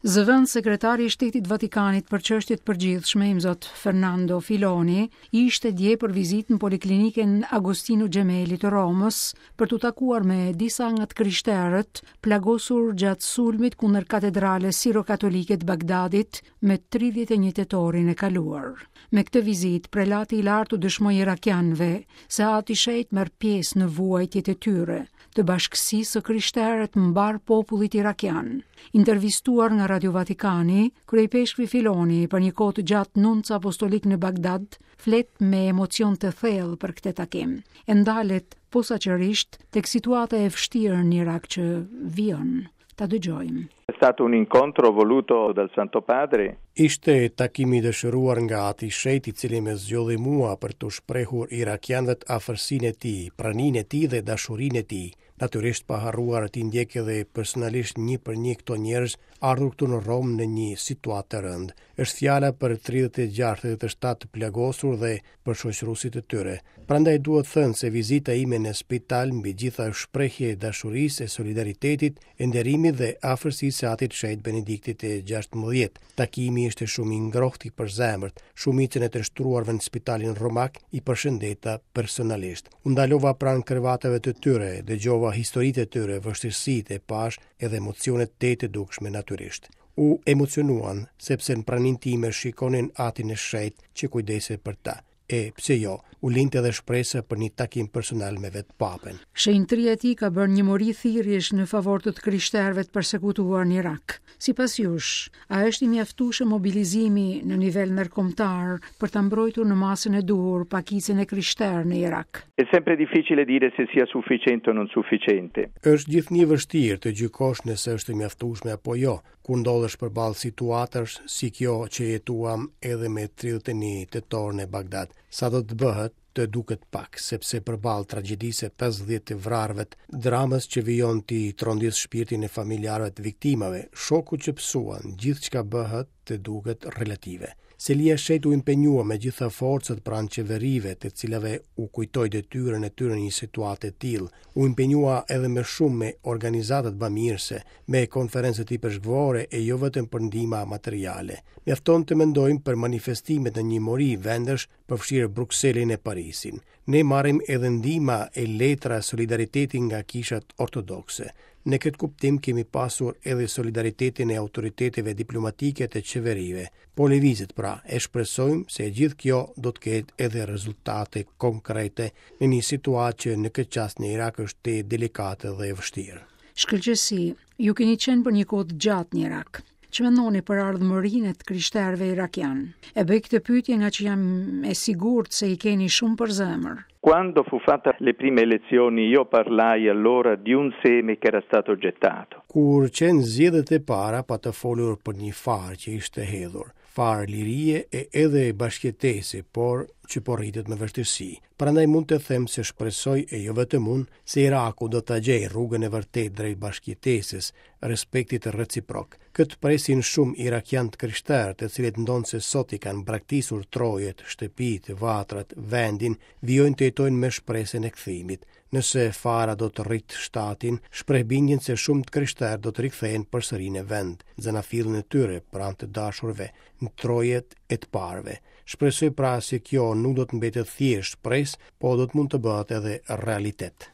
Zëvendëssekretari i Shtetit të Vatikanit për Çështje të Përgjithshme, Imzot Fernando Filoni, ishte dje për vizitë në Poliklinikën Agostino Gemelli të Romës për t'u takuar me disa nga të krishterët plagosur gjatë sulmit kundër katedrales siro-katolike të Bagdadit me 31 tetorin e kaluar. Me këtë vizitë, prelati i lartë u dëshmoi irakianëve se Ati i Shenjtë merr pjesë në vuajtjet e tyre, të bashkësisë së krishterë e të mbarë popullit irakian. Intervistuar nga Radio Vatikani, kryeipeshkvi Filoni për një kohë të gjatë nunc apostolik në Bagdad, flet me emocion të thellë për këtë takim. E ndalet posaçërisht tek situata e vështirë në Irak që vijon. Ta dëgjojmë. È stato un incontro voluto dal Santo Padre. Ishte takim i dëshiruar nga Ati i Shenjtë, i cili më zgjodhi mua për t'u shprehur irakianëve afërsinë e tij, praninë e tij dhe dashurinë e tij. Natyrisht pa harruar t'i ndjek edhe personalisht një për një këto njerëz ardhur këtu në Romë në një situatë të rëndë. Është fjala për 36 37 të plagosur dhe për shoqëruesit e tyre. Prandaj duhet thënë se vizita ime në spital mbi gjitha është shprehje e dashurisë, e solidaritetit, e nderimit dhe afërsisë së Atit të Shenjtë Benediktit të XVI. Takimi ishte shumë i ngrohtë i përzemërt. Shumicën e të shtruarve në spitalin romak i përshëndeta personalisht. U ndalova pranë krevateve të tyre, dëgjova historitë e tyre, vështirësitë e pashë edhe emocionet te të dukshme natyrisht. U emocionuan, sepse në praninë time shikonin Atin e Shenjtë që kujdesej për ta. E, pse jo, u lindte edhe shpresa për një takim personal me vetë Papën. Shenjtëria e tij ka bërë një mori thirrjesh në favor të të krishterëve të persekutuar në Irak. Sipas jush, a është i mjaftueshëm mobilizimi në nivel ndërkombëtar për ta mbrojtur në masën e duhur pakicën e krishterë në Irak? È sempre difficile dire se sia sufficiente o non sufficiente. Është gjithnjë vështirë të gjykosh nëse është e mjaftueshme apo jo, kur ndodhesh përballë situatash si kjo që jetuam edhe me 31 tetor në Bagdad. Sado të bëhet, të duket pak, sepse përballë tragjedisë së 50 të vrarëve, dramës që vijon t'i trondisë shpirtin e familjarëve të viktimave, shoku që pësuan, gjithçka bëhet të duket relative. Selia e Shenjtë u impenjua me gjitha forcat pranë qeverive, të cilave u kujtoi detyrën e tyre në një situatë të tillë. U impenjua edhe më shumë me organizatat bamirëse, me konferencët ipeshkvore e jo vetëm për ndihma materiale. Mjafton të mendojmë për manifestimet në një mori vendesh, përfshirë Brukselin e Parisin. Ne marrim edhe ndihma e letra solidariteti nga kishat ortodokse. Në këtë kuptim kemi pasur edhe solidaritetin e autoriteteve diplomatike të qeverive. Po lëvizet pra, e shpresojmë se e gjithë kjo do të ketë edhe rezultate konkrete në një situatë që në këtë çast në Irak është tejet delikate dhe e vështirë. Shkëlqesi, ju keni qenë për një kohë të gjatë në Irak. Ç'mendoni për ardhmërinë e të krishterëve irakianë? E bëj këtë pyetje ngaqë jam e sigurt se i keni shumë për zemër. Quando fu fatta le prime elezioni io parlai allora di un seme che era stato gettato. Kur qenë zgjedhjet e para pata folur për një farë që ishte hedhur, farë lirie e edhe bashkëjetese, por që po rritet me vështirësi. Prandaj mund të them se shpresoj e jo vetëm unë se Iraku do ta gjejë rrugën e vërtetë drejt bashkëjetesës, respektit reciprok. Këtë presin shumë irakianë të krishterë, të cilët ndonëse sot i kanë braktisur trojet, shtëpitë, vatrat, vendin, vijojnë të jetojnë me shpresën e kthimit. Nëse fara do të rritë shtatin, shpreh bindjen se shumë të krishterë do të rikthehen përsëri në vend, zanafillën e tyre, pranë të dashurve, në trojet e të parëve. Shpresoj pra se kjo nuk do të mbetet thjesht shpresë, po do të mund të bëhet edhe realitet.